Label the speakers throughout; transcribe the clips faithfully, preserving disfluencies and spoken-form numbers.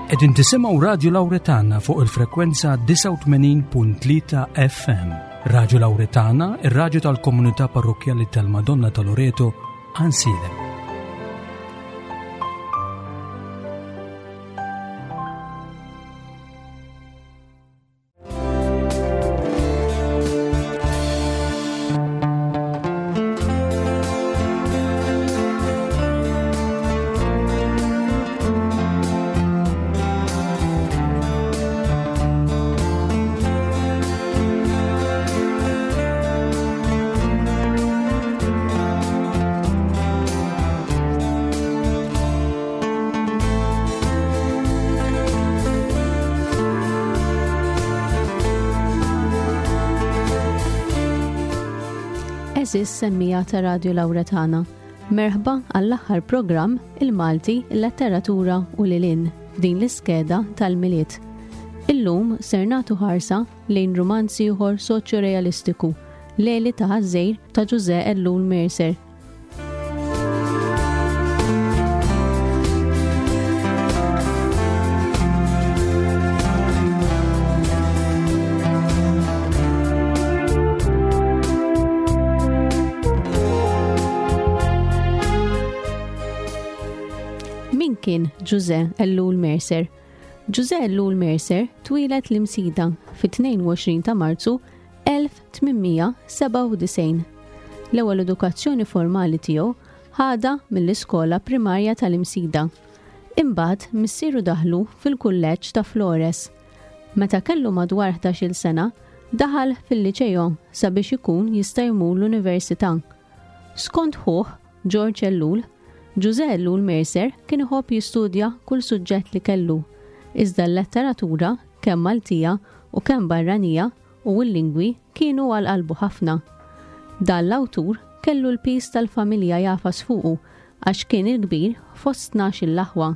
Speaker 1: Qegħdin tisimgħu Radio Lauretana fuq il-frekwenza disgħa u tmenin punt tlieta F M. Radio Lauretana, ir-radju tal-komunità parrokkjali tal-Madonna ta' Loreto, Għajnsielem.
Speaker 2: Għeżież semmiegħa ta' Radio Lauretana. Merħba għall-aħħar programm Il-Malti, il-Letteratura u lil hinn f'din l-iskeda tal-Milied. Illum ser nagħtu ħarsa lejn romanz ieħor soċjo-realistiku, Leli ta' Ħaż-Żgħir ta' Ġużè Ellul Mercer. Min kien Ġużè Ellul Mercer? Ġużè Ellul Mercer twieled l-Imsida fit-tnejn u għoxrin ta' Marzu elf tmien mija sebgħa u disgħin. L-ewwel edukazzjoni formali tiegħu ħadha mill-iskola primarja tal-Imsida. Imbagħad missieru daħlu fil-kulleġġ ta' Flores. Meta kellu madwar ħdax-il sena, daħal fil-liċeo sabiex ikun jista' jmur l-università. Skont ħuh George Ellul, Ġużè Ellul Mercer kien iħobb jistudja kull suġġett li kellu, iżda l-letteratura kemm Maltija u kemm barranija u l-lingwi kienu għal qalbu ħafna. Dan l-awtur kellu l-pis tal-familja jagħfas fuqu għax kien il-kbir fost tnax-il aħwa.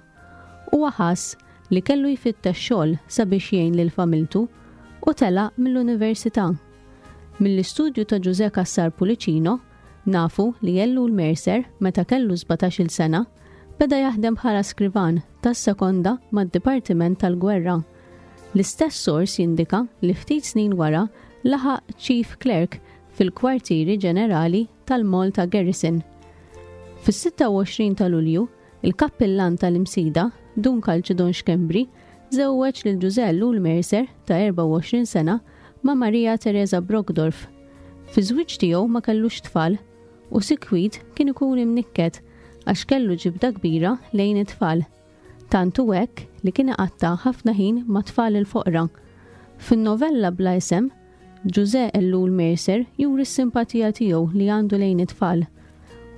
Speaker 2: Huwa ħass li kellu jfittex xogħol sabiex jgħin lil familtu u telaq mill-università. Mill-istudju ta' Ġużè Cassar Pullicino nafu li Ellul Mercer meta kellu sbatax-il sena beda jaħdem bħala skrivan tas-sekonda mad-Dipartiment tal-Gwerra. L-istess sors jindika li ftit snin wara laħaq Chief Clerk fil-kwartieri ġenerali tal-Malta Garrison. Fis-sitta u għoxrin ta' Lulju, il-kappillan tal-Imsida, Dun Kalċidon Schembri, żewweġ lil Ġużè Ellul Mercer ta' erbgħa u għoxrin sena ma' Maria Teresa Brockdorf. Fi żwieġ tiegħu ma kellux tfal u sikwit kien ikun imnikket għax kellu ġibda kbira lejn it-tfal. Tant hu hekk li kien iqatta' ħafna ħin ma' tfal il-foqra. Fin-novella Bla Isem, Ġużè Ellul Mercer juri s-simpatija tiegħu li għandu lejn it-tfal.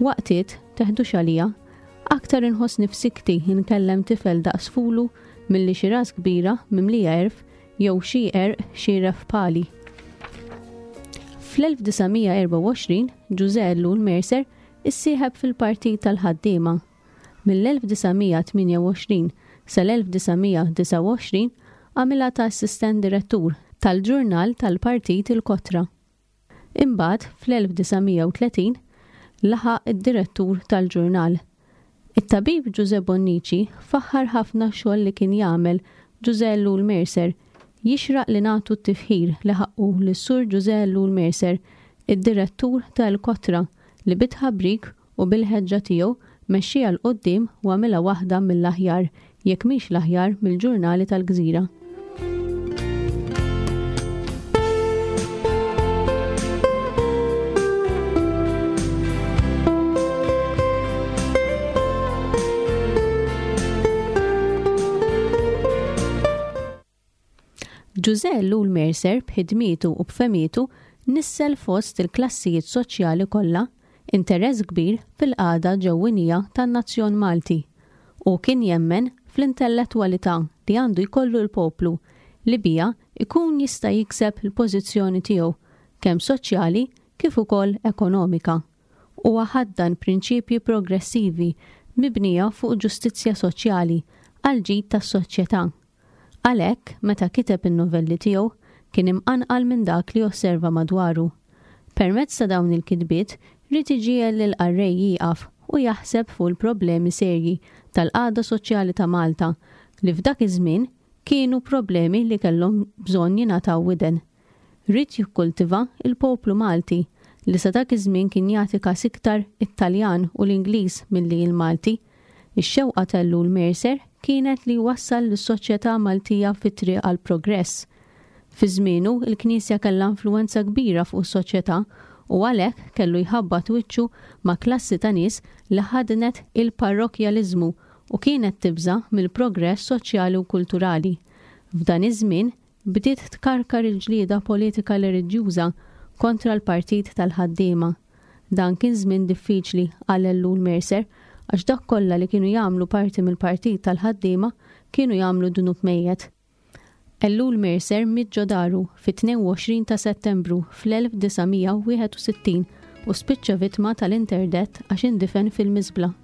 Speaker 2: "Waqtiet, teħdux għalija, aktar inħossni f'sikti nkellem tifel daqs fulu milli xi ras kbira mimlija għerf jew xi għerq xieref bħali." Fl-elf disa' mija erbgħa u għoxrin Ġużè Ellul Mercer issieħeb fil-Partit tal-Ħaddiema. Mill-elf disa' mija tmienja u għoxrin sal-elf disa' mija disgħa u għoxrin għamilha ta' assistent direttur tal-ġurnal tal-Partit Il-Kotra. Imbagħad fl-elf disa' mija u tletin laħaq id-direttur tal-ġurnal. It-tabib Ġużè Bonnici faħħar ħafna xogħol li kien jagħmel Ġużè Ellul Mercer. "Jixraq li nagħtu t-tifħir li ħaqqu lis-Sur Ġużè Ellul Mercer, id-direttur tal-Kotra, li bit-tħabrik u bil-ħeġġa tiegħu mexxija 'l quddiem u għamilha waħda mill-aħjar, jekk mhix l-aħjar, mill-ġurnali tal-gżira." Ġużè Ellul Mercer b'ħidmietu u b'fehmietu nissel fost il-klassijiet soċjali kollha interess kbir fil-qagħda ġewwinija tan-nazzjon Malti u kien jemmen fl-intellettwalità li għandu jkollu l-poplu li bija ikun jista' jikseb il-pożizzjoni tiegħu kemm soċjali kif ukoll ekonomika. Huwa ħaddan prinċipji progressivi mibnija fuq ġustizzja soċjali għal ġid tas-soċjetà. Għalhekk, meta kiteb in-novelli tiegħu, kien imqanqal minn dak li osserva madwaru. Permezz ta' dawn il-kitbiet, ried iġiegħel lil qarrej jieqaf u jaħseb fuq il-problemi serji tal-qagħda soċjali ta' Malta, li f'dak iż-żmien kienu problemi li kellhom bżonn jingħataw widen. Ried jikkultiva il-poplu Malti li sa dak iż-żmien kien jagħti każ iktar it-Taljan u l-Ingliż milli l-Malti. Ix-xewqa t'Ellul Mercer kienet li jwassal lis-soċjetà Maltija fit-triq għal progress. Fi żmienu il-Knisja kellha influwenza kbira fuq is-soċjetà u għalhekk kellu jħabbat wiċċu ma' klassi ta' nies li ħadnet il-parrokkjaliżmu u kienet tibża' mill-progress soċjali u kulturali. F'dan iż-żmien bdiet tkarkar il-ġlieda politika reliġjuża kontra l-Partit tal-Ħaddiema. Dan kien żmien diffiċli għal Ellul Mercer għax dak kollha li kienu jagħmlu parti mill-Partit tal-Ħaddiema kienu jagħmlu dnub mejjet. Ellul Mercer miet ġo daru fit-tnejn u għoxrin ta' Settembru fl-elf disa' mija u wieħed u sittin u spiċċa vittma tal-interdett għax indifen fil-miżbla.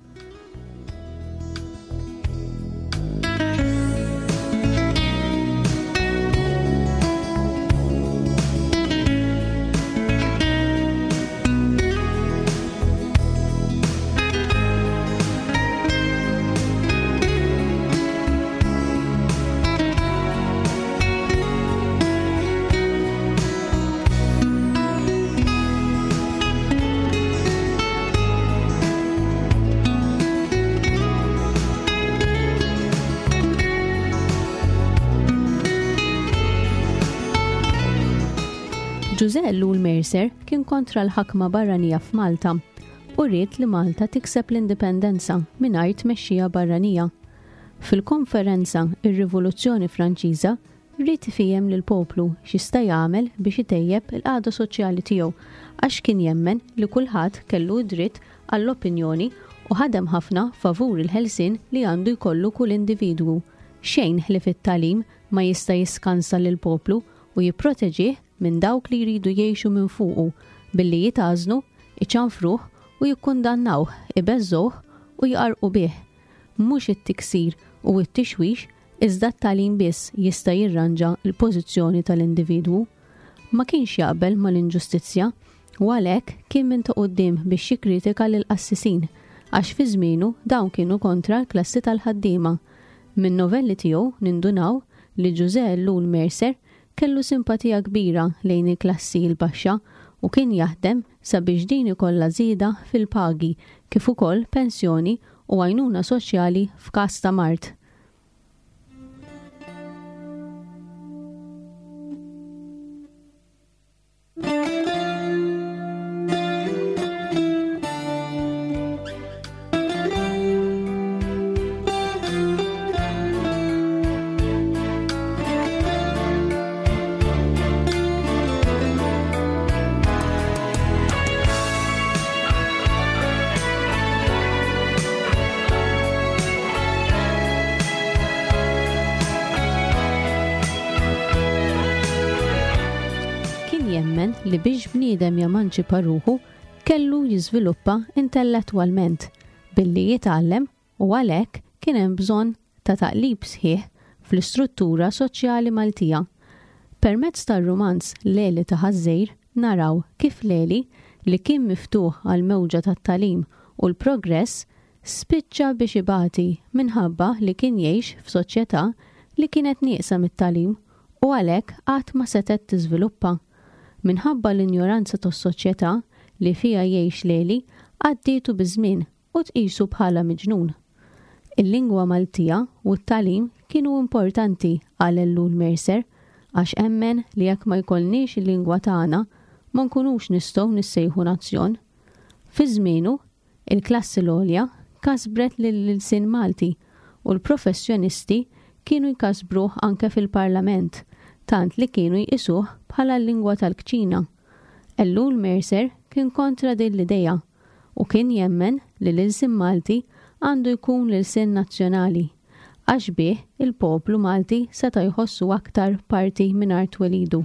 Speaker 2: Ġużè Ellul Mercer kien kontra l-ħakma barranija f'Malta u ried li Malta tikseb l-indipendenza mingħajr tmexxija barranija. Fil-konferenza Ir-Rivoluzzjoni Franċiża ried ifhem lill-poplu x'jista' jagħmel biex itejjeb il-qagħda soċjali tiegħu għax kien jemmen li kulħadd kellu dritt għall-opinjoni u ħadem ħafna favur il-ħelsien li għandu jkollu kull individwu. Xejn ħlief it-tagħlim ma jista' jiskansa lill-poplu u jipproteġih minn dawk li jridu jgħixu minn fuqu billi jitgħażnu, iċanfruh u jikkundannawh, ibeżżuh u jqarqu bih. Mhux it-tiksir u t-tixwix iżda t-tagħlim biss jista' jirranġa l-pożizzjoni tal-individwu. Ma kienx jaqbel mal-inġustizzja u għalhekk kien minn ta' quddiem biex jikkritika lill-qassisin għax fi żmienu dawn kienu kontra l-klassi tal-ħaddiema. Minn novelli tiegħu nindunaw li Ġużè Ellul Mercer kellu simpatija kbira lejn il-klassi l-baxxa u kien jaħdem sabiex din ikollha żieda fil-pagi kif ukoll pensjoni u għajnuna soċjali f'każ ta' mard. Jemmen li biex bniedem jamanċipa ruħu kellu jiżviluppa intellettwalment billi jitgħallem u għalhekk kien hemm bżonn ta' taqlib sħiħ fl-istruttura soċjali Maltija. Permezz tar-rumanz Leli ta' Ħaż-Żgħir naraw kif Leli, li kien miftuħ għal mewġa tat-tagħlim u l-progress, spiċċa biex ibati minħabba li kien jgħix f'soċjetà li kienet nieqsa mit-tagħlim u għalhekk qatt ma setgħet tiżviluppa. Minħabba l-injoranza tas-soċjetà li fiha jgħix Leli, għaddietu biż-żmien u tqisu bħala miġnun. Il-lingwa Maltija u t-tagħlim kienu importanti għal Ellul Mercer għax emmen li jekk ma jkollniex il-lingwa tagħna ma nkunux nistgħu nissejħu nazzjon. Fi żmienu, il-klassi l-għolja kasbret lill-ilsien Malti u l-professjonisti kienu jkasbruh anke fil-Parlament, tant li kienu jqisuh bħala l-lingwa tal-kċina. Ellul Mercer kien kontra din l-idea u kien jemmen li l-ilsien Malti għandu jkun l-ilsien nazzjonali, għax bih il-poplu Malti seta' jħossu aktar parti minn art twelidu.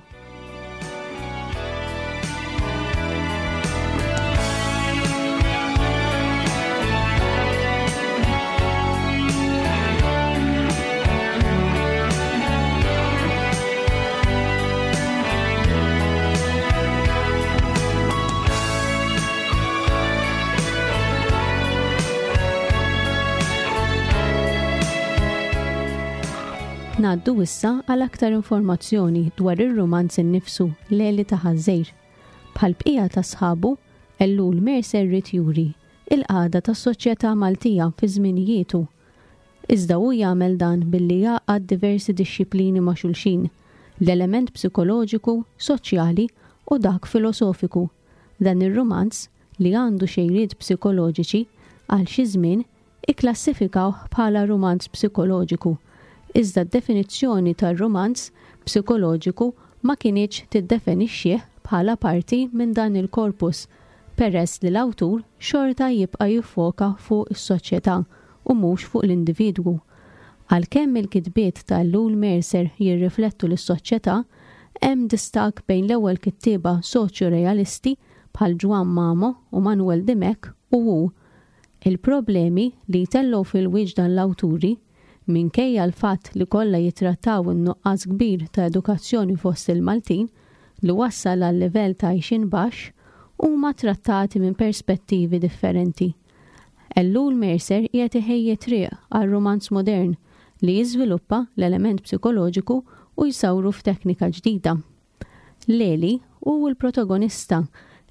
Speaker 2: Ngħaddu issa għal aktar informazzjoni dwar ir-rumanz innifsu Leli ta' Ħaż-Żgħir. Bħal bqija ta' sħabu, Ellul Mercer ried juri il-qagħda tas-soċjetà Maltija fi żminijietu. Iżda hu jagħmel dan billi jgħaqqad diversi dixxiplini ma' xulxin, l-element psikoloġiku, soċjali u dak filosofiku. Dan ir-rumanz, li għandu xejriet psikoloġiċi, għal xi żmien ikklassifikawh bħala rumanz psikoloġiku. Iżda d-definizzjoni tar-rumanz psikoloġiku ma kinitx tiddefinixxih bħala parti minn dan il-korpus, peress li l-awtur xorta jibqa' jiffoka fuq is-soċjetà u mhux fuq l-individwu. Għalkemm il-kitbiet ta' Ellul Mercer jirriflettu lis-soċjetà, hemm distakk bejn l-ewwel kittieba soċjo-realisti bħal Ġwann Mamo u Manuel Dimech u hu. Il-problemi li jtellgħu fil-wiċċ dan l-awturi, minkejja l-fatt li kollha jitrattaw in-nuqqas kbir ta' edukazzjoni fost il-Maltin li wassal għal livell ta' għixien baxx, huma trattati minn perspettivi differenti. Ellul Mercer qiegħed iħejji triq għal rumanz modern li jiżviluppa l-element psikoloġiku u jsawru f'teknika ġdida. Leli hu l-protagonista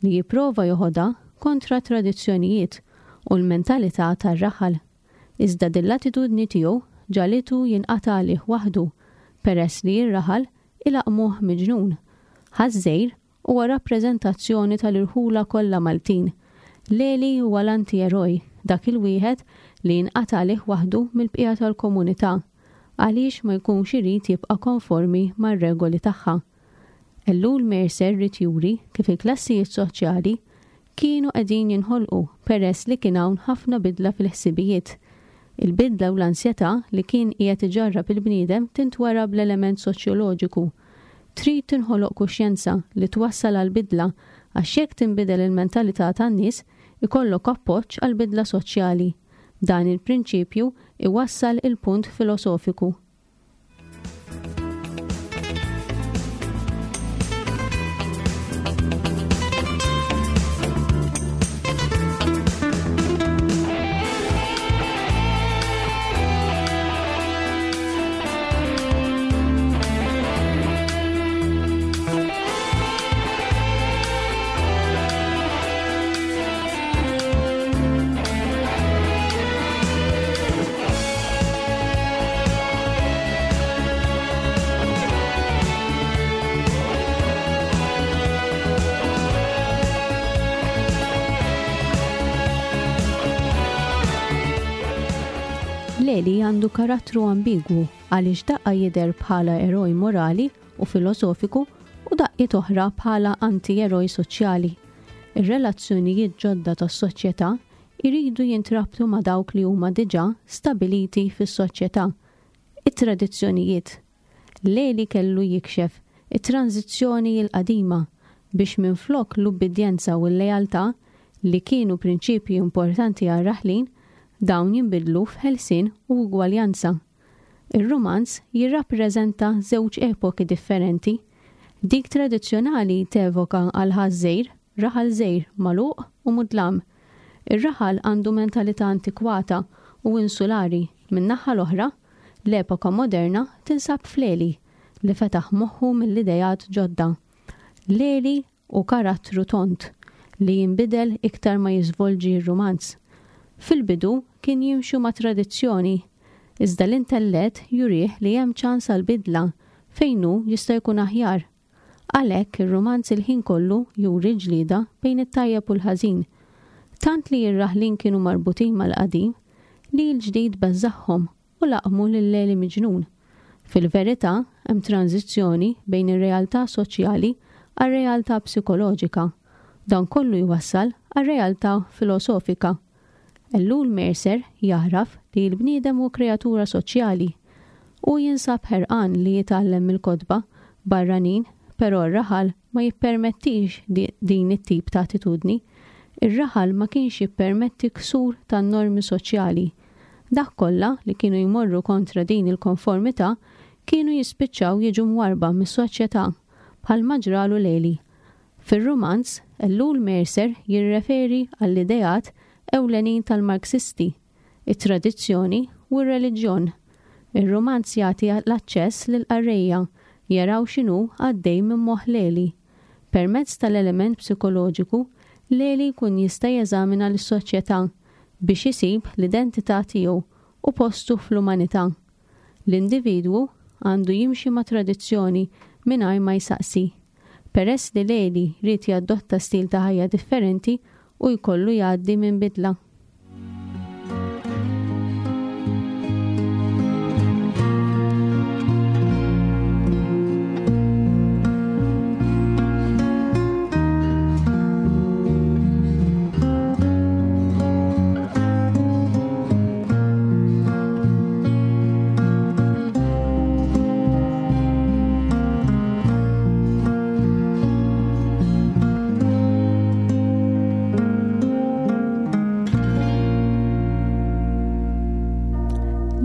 Speaker 2: li jipprova joħodha kontra tradizzjonijiet u l-mentalità tar-raħal. Iżda din l-attitudni tiegħu ġagħlitu jinqata' għalih waħdu peress li r-raħal ilaqmuh miġnun. Ħaż-Żgħir huwa rappreżentazzjoni tal-irħula kollha Maltin. Leli huwa l-anti-eroj, dak il-wieħed li jinqata' għalih waħdu mill-bqija tal-komunità, għaliex ma jkunx irid jibqa' konformi mar-regoli tagħha. Ellul Mercer ried juri kif il-klassijiet soċjali kienu qegħdin jinħolqu peress li kien hawn ħafna bidla fil-ħsibijiet. Il-bidla u l-ansjetà li kien qiegħed iġarrab il-bniedem tintwera bl-element soċjoloġiku. Trid tinħoloq kuxjenza li twassal għal bidla għax jekk tinbidel il-mentalità tan-nies ikollok appoġġ għal bidla soċjali. Dan il-prinċipju iwassal il-punt filosofiku. Leli għandu karattru ambigwu għaliex daqqa jidher bħala eroj morali u filosofiku u daqqiet oħra bħala anti-eroj soċjali. Ir-relazzjonijiet ġodda tas-soċjetà jridu jintrabtu ma' dawk li huma diġà stabiliti fis-soċjetà. It-tradizzjonijiet. Leli kellu jikxef it-tranzizzjoni l-qadima biex minflok l-ubbidjenza u l-lealtà li kienu prinċipji importanti għar-raħlin, dawn jinbidlu f'ħelsien u ugwaljanza. Ir-rumanz jirrappreżenta żewġ epoki differenti. Dik tradizzjonali tevoka għal Ħaż-Żgħir, raħal żgħir magħluq u mudlam. Ir-raħal għandu mentalità antikwata u insulari. Min-naħa l-oħra, l-epoka moderna tinsab f'Leli li fetaħ moħħu mill-idejat ġodda. Leli u karattru tont li jinbidel iktar ma jiżvolġi r-rumanz. Fil-bidu kien jimxu ma' tradizzjoni, iżda l-intellett jurih li hemm ċans għal bidla fejn hu jista' jkun aħjar. Għalhekk ir-rumanz il-ħin kollu juri ġlieda bejn it-tajjeb u l-ħażin. Tant li r-raħlin kienu marbutin mal-qadim li l-ġdid beżżagħhom u laqmu lil Leli miġnun. Fil-verità hemm tranzizzjoni bejn ir-realtà soċjali għar-realtà psikoloġika. Dan kollu jwassal għar-realtà filosofika. Ellul Mercer jaħraf li l-bniedem hu kreatura soċjali u jinsab ħerqan li jitgħallem mill-kotba barranin, però r-raħal ma jippermettix din it-tip ta' attitudni. Ir-raħal ma kienx jippermetti ksur tan-normi soċjali. Dak kollha li kienu jmorru kontra din il-konformità kienu jispiċċaw jiġu mwarba mis-soċjetà bħalma ġralu Leli. Fir-rumanz, Ellul Mercer jirreferi għall-ideat ewlenin tal-Marxisti, it-tradizzjoni u r-reliġjon. Ir-rumanz jagħti l-aċċess lill-qarrejja jaraw x'inhu għaddej minn moħħ Leli. Permezz tal-element psikoloġiku, Leli jkun jista' jeżamina lis-soċjetà biex isib l-identità tiegħu u postu fl-umanità. L-individwu għandu jimxi ma' tradizzjoni mingħajr ma jsaqsi. Peress li Leli ried jadotta stil ta' ħajja differenti u jkollu jgħaddi minn bidla.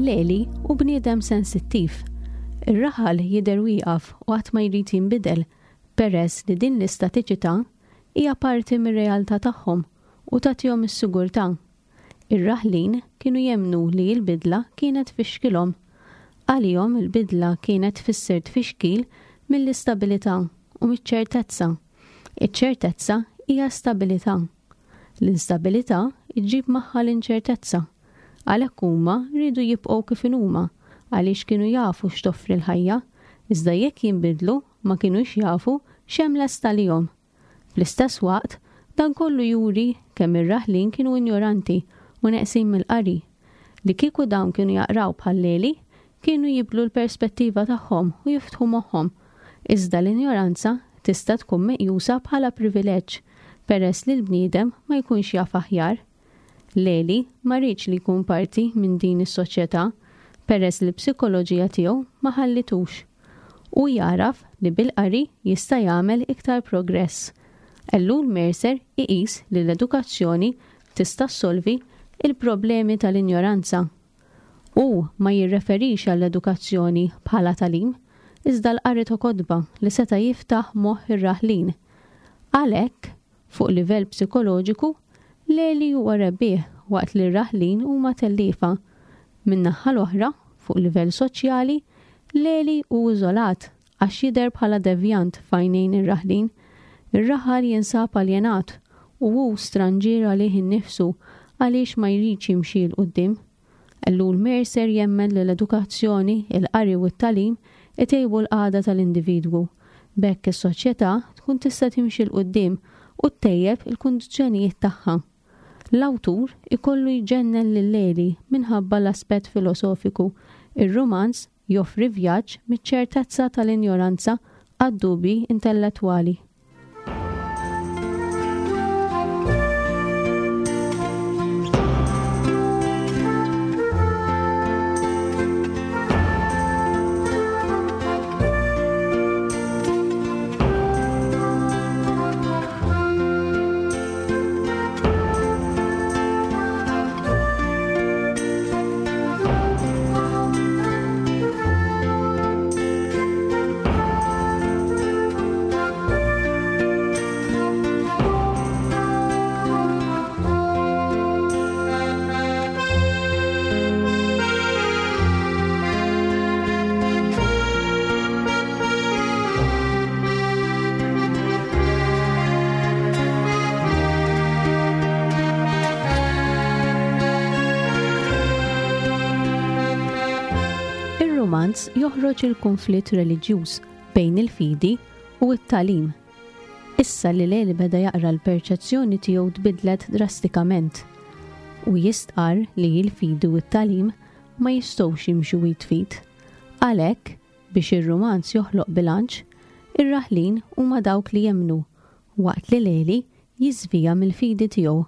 Speaker 2: Leli hu bniedem sensittiv. Ir-raħal jidher wieqaf u qatt ma jrid jinbidel peress li din l-istatiċità hija parti mir-realtà tagħhom u tagħtihom is-sigurtà. Ir-raħlin kienu jemmnu li l-bidla kienet tfixkilhom. Għalihom il-bidla kienet tfisser tfixkil mill-istabilità u miċ-ċertezza. Iċ-ċertezza hija stabilità. L-instabilità iġġib magħha l-inċertezza. Għalhekk huma riedu jibqgħu kif inhuma għaliex kienu jafu x'toffri l-ħajja, iżda jekk jinbidlu ma kinux jafu x'hemm lest għalihom. Fl-istess waqt, dan kollu juri kemm ir-raħlin kienu injoranti u neqsin mill-qari. Li kieku dawn kienu jaqraw bħal Leli, kienu jibdlu l-perspettiva tagħhom u jiftħu moħħhom. Iżda l-injoranza tista' tkun meqjusa bħala privileġġ peress li l-bniedem ma jkunx jaf aħjar. Leli ma riedx li jkun parti minn din is-soċjetà peress li l-psikoloġija tiegħu ma ħallitux. U jaraf li bil-qari jista' jagħmel iktar progress. Ellul Mercer iqis li l-edukazzjoni tista' ssolvi il-problemi tal-injoranza. U ma jirreferix għall-edukazzjoni bħala tagħlim, iżda l-qari ta' kotba li seta' jiftaħ moħħ ir-raħlin. Għalhekk, fuq livell psikoloġiku, Leli huwa rebbieħ waqt li r-raħlin huma telliefa. Min-naħa l-oħra, fuq livell soċjali, Leli hu iżolat għax jidher bħala devjant f'għajnejn ir-raħlin. Ir-raħal jinsab aljenat u hu stranġier għalih innifsu għaliex ma jridx jimxi 'l quddiem. Ellul Mercer jemmen li l-edukazzjoni, il-qari u t-tagħlim itejbu l-qagħda tal-individwu. B'hekk is-soċjetà tkun tista' timxi 'l quddiem u ttejjeb il-kundizzjonijiet tagħha. L-awtur ikollu jġennen lil Leli minħabba l-aspett filosofiku. Ir-rumanz joffri vjaġġ miċ-ċertezza tal-injoranza għad-dubji intellettwali. Ir-romanz joħroġ il-konflitt reliġjuż bejn il-fidi u t-tagħlim. Issa li Leli beda jaqra l-perċezzjoni tiegħu tbidlet drastikament u jistqar li l-fidi u t-tagħlim ma jistgħux jimxu id f'id. Għalhekk, biex ir-romanz joħloq bilanċ, ir-raħlin huma dawk li jemmnu, waqt li Leli jiżvija mill-fidi tiegħu.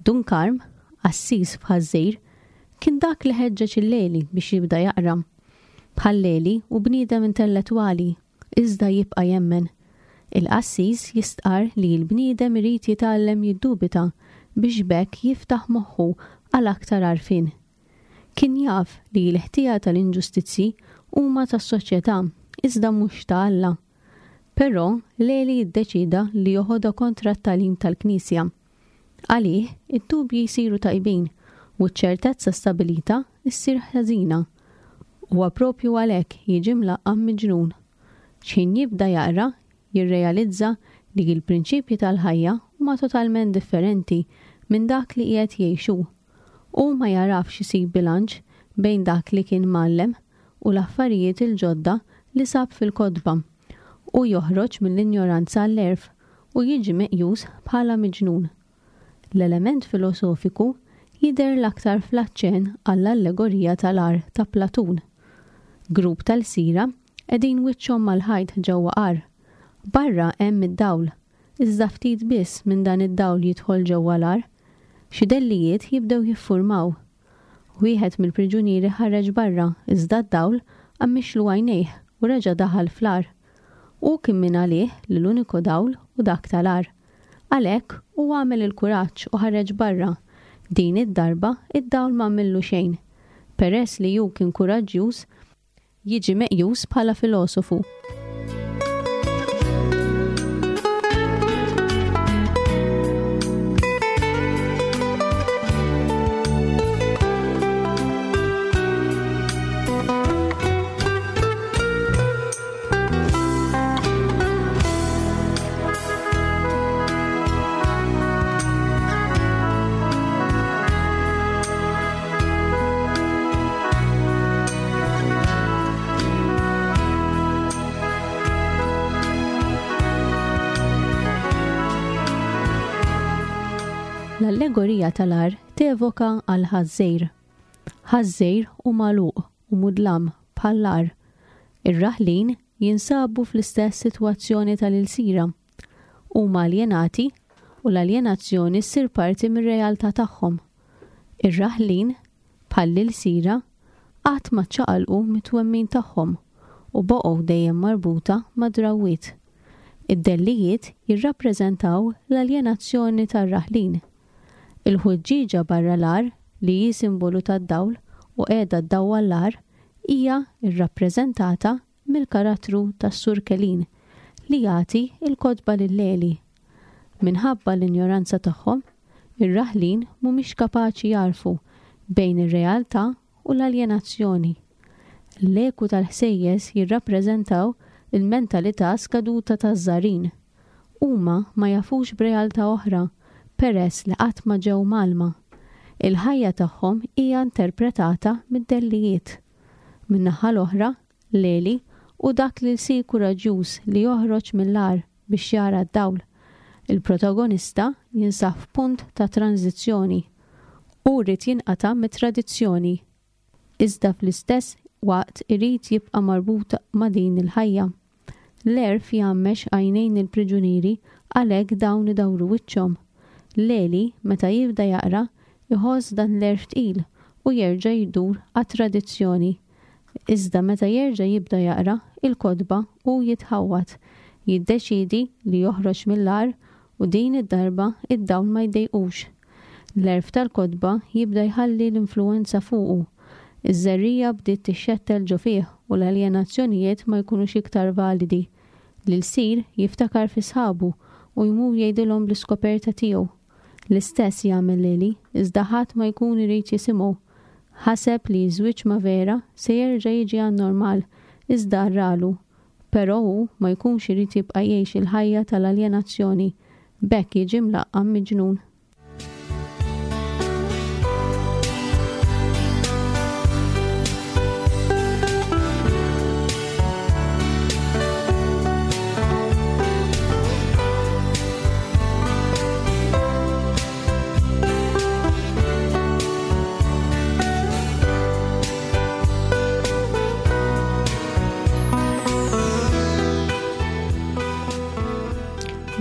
Speaker 2: Dun Karm, qassis f'Ħażżejr, kien dak li ħeġġeġ il-Leli biex jibda jaqra. Bħal Leli u bniedem intellettwali, iżda jibqa' jemmen. Il-qassis jistqar li l-bniedem irid jitgħallem jiddubita biex b'hekk jiftaħ moħħu għal aktar għarfien. Kien jaf li l-ħtija tal-inġustizzji huma tas-soċjetà iżda mhux ta' Alla. Però Leli jiddeċida li joħodha kontra t-tagħlim tal-Knisja. Għalih, id-dubji jsiru tajbin u ċ-ċertezza stabilita ssir ħażina. Huwa propju għalhekk jiġi mlaqqam miġnun. X'ħin jibda jaqra, jirrealizza li l-prinċipji tal-ħajja huma totalment differenti minn dak li qiegħed jgħixu. Hu ma jarafx isib bilanċ bejn dak li kien mgħallem u l-affarijiet il-ġodda li sab fil-kotba. Hu joħroġ mill-injoranza għall-għerf u jiġi meqjus bħala miġnun. L-element filosofiku jidher l-aktar fl-aċċenn għall-allegorija tal-għar ta' Platun. Grupp tal-lsira qegħdin wiċċhom mal-ħajt ġewwa għar. Barra hemm id-dawl, iżda ftit biss minn dan id-dawl jidħol ġewwa l-għar. Xi dellijiet jibdew jiffurmaw. Wieħed mill-priġunieri ħareġ barra, iżda d-dawl għammixlu għajnejh u reġa' daħal fl-għar. Hu kien minn għalih li l-uniku dawl hu dak tal-għar. Għalhekk hu għamel il-kuraġġ u ħareġ barra. Din id-darba id-dawl ma għamillu xejn. Peress li hu kien kuraġġjuż, jiġi meqjus bħala filosofu. L-allegorija tal-għar tevoka għal Ħaż-Żgħir. Ħaż-Żgħir hu magħluq u mudlam bħall-għar. Ir-raħlin jinsabu fl-istess sitwazzjoni tal-ilsira. Huma aljenati u l-aljenazzjoni ssir parti mir-realtà tagħhom. Ir-raħlin, bħall-ilsira, qatt ma ċċaqalqu mit-twemmin tagħhom u baqgħu dejjem marbuta mad-drawwiet. Id-dellijiet jirrappreżentaw l-aljenazzjoni tar-raħlin. Il-ħuġġieġa barra l-għar, li hi simbolu tad-dawl u qiegħda ddawwal l-għar, hija rrappreżentata mill-karattru tas-Sur Kelin li jagħti l-kotba lil Leli. Minħabba l-injoranza tagħhom, ir-raħlin mhumiex kapaċi jagħrfu bejn ir-realtà u l-aljenazzjoni. L-eku tal-ħsejjes jirrappreżentaw il-mentalità skaduta taż-żarin. Huma ma jafux b'realtà oħra peress li qatt ma ġew mgħallma. Il-ħajja tagħhom hija interpretata mid-dellijiet. Min-naħa l-oħra, Leli hu dak li lsir kuraġġjuż li joħroġ mill-għar biex jara d-dawl. Il-protagonista jinsab f'punt ta' tranżizzjoni. Hu rrid jinqata' mit-tradizzjoni, iżda fl-istess waqt irid jibqa' marbut ma' din il-ħajja. L-għerf jgħammex għajnejn il-priġunieri għalhekk dawn idawru wiċċhom. Leli, meta jibda jaqra, iħoss dan l-għerf tqil u jerġa' jdur għat-tradizzjoni. Iżda meta jerġa' jibda jaqra il-kotba hu jitħawwad, jiddeċiedi li joħroġ mill-għar u din id-darba id-dawl ma jdejqux. L-għerf tal-kotba jibda jħalli l-influwenza fuqu. Iż-żerrija bdiet tixxettel ġo fih u l-aljenazzjonijiet ma jkunux iktar validi. L-ilsir jiftakar fi sħabu u jmur jgħidilhom bl-iskoperta tiegħu. L-istess jagħmel Leli, iżda ħadd ma jkun irid jisimgħu. Ħaseb li ż-żwieġ ma' Vera se jerġa' jiġi għan-normal, iżda rralu. Però hu ma jkunx irid jibqa' jgħix il-ħajja tal-aljenazzjoni, b'hekk jiġi mlaqqam miġnun.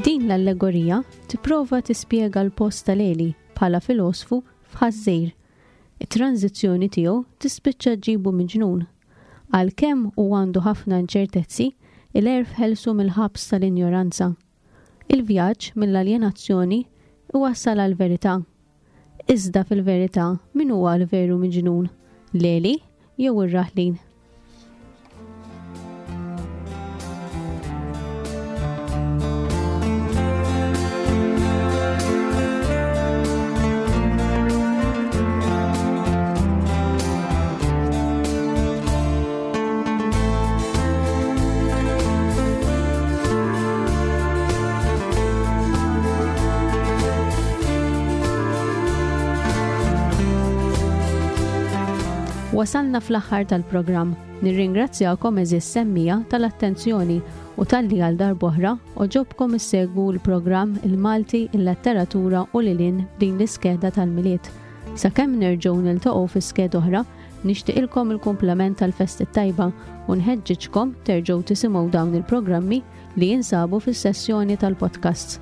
Speaker 2: Din l-allegorija tipprova tispjega l-post ta' Leli bħala filosfu f'Ħaż-Żgħir. It-tranżizzjoni tiegħu tispiċċa ġġibu miġnun. Għalkemm hu għandu ħafna inċertezzi, il-għerf ħelsu mill-ħabs tal-injoranza. Il-vjaġġ mill-aljenazzjoni iwassal għall-verità. Iżda fil-verità min huwa l-veru miġnun? Leli jew ir-raħlin? Wasalna fl-aħħar tal-programm. Nirringrazzjakom, għeżież semmiegħa, tal-attenzjoni u talli għal darb'oħra għoġobkom issegwu l-programm Il-Malti, il-Letteratura u lil hinn din l-iskeda tal-Milied. Sakemm nerġgħu niltaqgħu fi skeda oħra, nixtieqilkom il-kumplament tal-festi tajba u nħeġġiġkom terġgħu tisimgħu dawn il-programmi li jinsabu fis-sessjoni tal-podcasts.